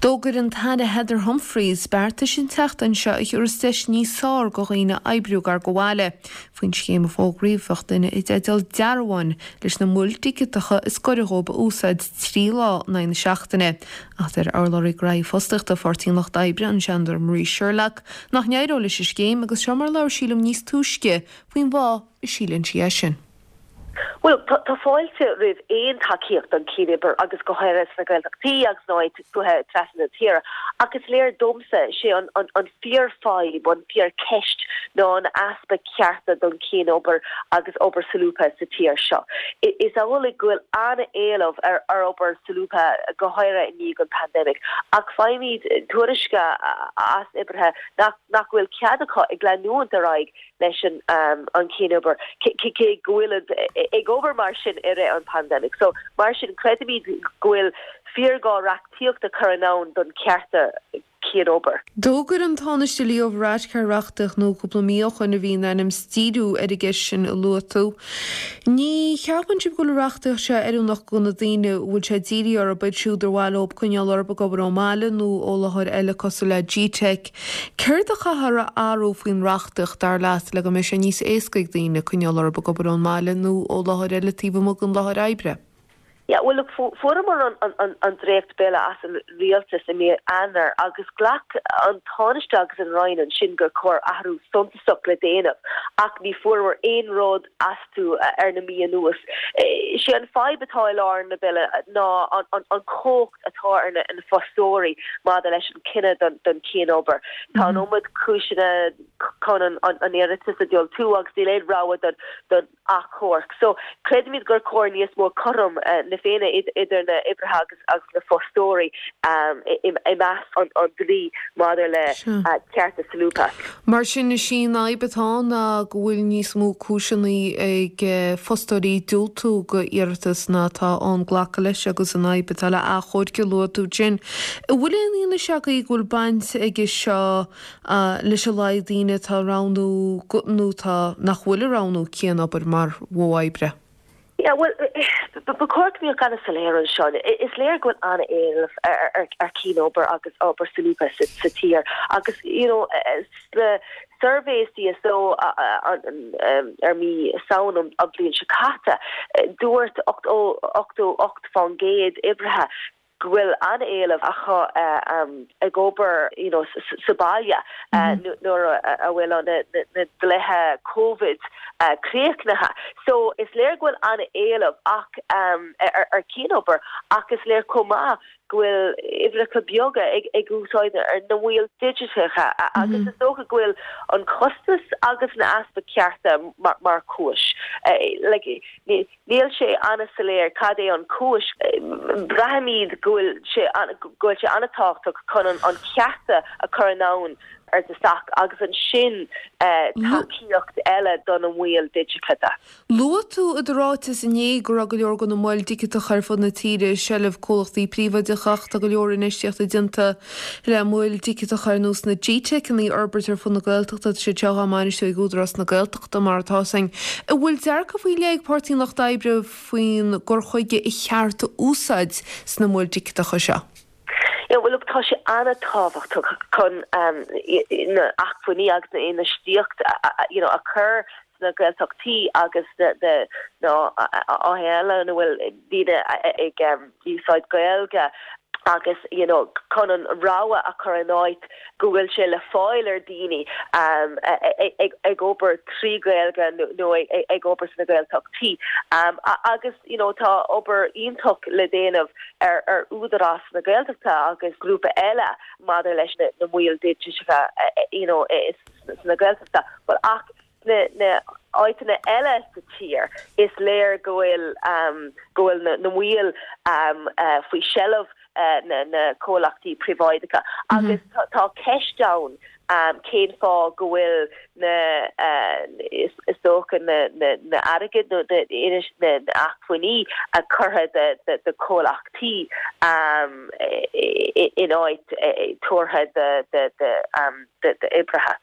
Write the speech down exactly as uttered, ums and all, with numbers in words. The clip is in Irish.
D'fhógair an tAire Heather Humphreys beartas an tseachtain seo a thabharfas deis níos fearr do dhaoine oibriú gar do bhaile. Faoin scéim a fógraíodh bheadh duine i dteideal dearbhán leis na moil dhigiteacha is gaire dóibh a úsáid trí lá in aghaidh na seachtaine. Ach deir urlabhraí ghnóthaí fostaíochta Pháirtí an Lucht Oibre an Seanadóir Marie Sherlock nach n-éireoidh leis an scéim agus seo mar labhair sí liom níos túisce faoin bhfáth a síleann sí é sin. Well tá fáilte roimh aon tacaíocht don chianobair agus go háirithe sna Gaeltachtaí agus na tuaithe trasna na tíre ach is léir domsa sé an an an fíorfhadhb an fíorcheist ná an easpa cearta don chianobair agus obair solúbtha sa tír seo. Is amhlaidh go bhfuil an-éileamh ar ar obair solúbtha go háirithe i ndiaidh an pandemic ach faighimid tuairiscí as oibrithe nach nach bhfuil cead acu ag leanúint ar aghaidh leis an um, an chianobair cé go bhfuil ag obair mar sin i rith an pandemic. So mar sin creidimid go bhfuil fíorghá reachtaíocht a chur ann don cearta cianobair. D'fhógair an Tánaiste Leo Varadkar reachtaíocht nua cúpla mí ó shin a bhí in ainm is díriú ar an gceist sin a luaigh tú. Ní cheapann sibh go bhfuil reachtaíocht seo oiriúnach do na daoine bhfuil sé dírithe orthu iad siúd ar mhaith leo coinneáil orthu ag obair ón mbaile nó ó láthair eile cosúil le G-Tech. Céard a chaithfear a athrú faoin reachtaíocht dar leat le go mbeidh sé níos éasca ag daoine coinneáil orthu ag obair ón mbaile nó ó láthair eile taobh amuigh den láthair oibre. Ja, well look fuaireamar an, an, an, an dréachtbhille as an rialtas i mí Eanáir agus ghlac an Tánaiste agus an Roinn ansin gur chóir athrú suntasach le déanamh ach ní fuaireamar aon rud astu ar na mí anuas. sé an fadhb atá i lár na bille ná an, an, an chumhacht atá ar na, na fostóirí maidir leis an cinneadh don, don chianobair. Tá an iomad cúiseanna chun an, an, an iarratas a dhiúltú agus níl aon rogha don, don achomharc. So creidimid gur chóir níos mó cothrom uh, na Féinne idir na oibrithe agus agus na fostóirí um, i measc an, an dlí maidir le uh, cearta solúbtha. Mar sin is í an fhadhb atá ná go bhfuil níos mó cúiseanna ag fostóirí diúltú d'iarratas ná tá an glacadh leis agus an fhadhb atá le achomhairc a luaigh tú sin. bhfuil aon fhianaise go bhfuil baint aige seo leis an laghad daoine atá roghnú nó tá nach bhfuil ag roghnú cianobair mar mhodh oibre. Ja, well ba chóir go mbeadh an-soiléir anseo. Is léir go bhfuil an-éileamh ar chianobair agus obair solúbtha sa tír agus you know the survey CSO ar mí Samhain an bhliain seo caite dúirt ochtó ocht faoin gcéad oibrithe go bhfuil an-éileamh acu um, ag obair you know, sa baile uh, mhm. nuair a bhfuil na, na dlíthe COVID uh, críochnaithe. So is léir go bhfuil an-éileamh ach um, ar, ar chianobair ach is léir chomh maith go bhfuil oibrithe beaga ag ag úsáid ar na moil digiteacha agus mm -hmm. is dócha go bhfuil an costas agus na easpa cearta mar, mar chúis. Uh, like, níl sé an-soiléir cad é an chúis braithimid go bhfuil sé go bhfuil sé an-tábhachtach chun an, an cearta a chur ann ar dtús agus ansin uh, tacaíocht eile don na moil digiteacha. Luaigh tú i do ráiteas inné go raibh go leor de na moil dhigiteacha ar fud na tíre i seilbh comhlachtaí príobháideacha tá go leor infheistíochta déanta le moil dhigiteacha ar nós na G-Techanna a fhorbairt ar fud na Gaeltachta sé seo á mbainistiú ag Údarás na Gaeltachta mar atá sin. An bhfuil dearcadh faoi leith ag Páirtí an Lucht Oibre faoin gcur chuige is ceart a úsáid sna moil dhigiteacha seo. Ja, well look, tá sé an-tábhachtach chun um, na acmhainní agus na infheistíocht you know, a chur na Gaeltachtaí agus de na eile na bhfuil daoine ag um, úsáid Gaeilge agus you know chun an rogha a chur in áit go bhfuil sé le fáil ar daoine um, ag, ag obair trí Gaeilge nó ag, ag obair sna Gaeltachtaí um, agus you know tá obair iontach le déanamh ar ar Údarás na Gaeltachta agus grúpa eile maidir leis na, na moil digiteacha you know sna Gaeltachta but ach na na áiteanna eile sa tír is léir go bhfuil um, go bhfuil na, na moil um, uh, faoi seilbh uh, na, na comhlachtaí príobháideacha mm -hmm. agus tá ceist ann um, cén fáth go bhfuil na uh, is, is dócha na, na, na airgead nó na, na, na acmhainní a curtha de, de, de comhlachtaí um, in áit tabhartha de, de, de, um, de, de oibrithe.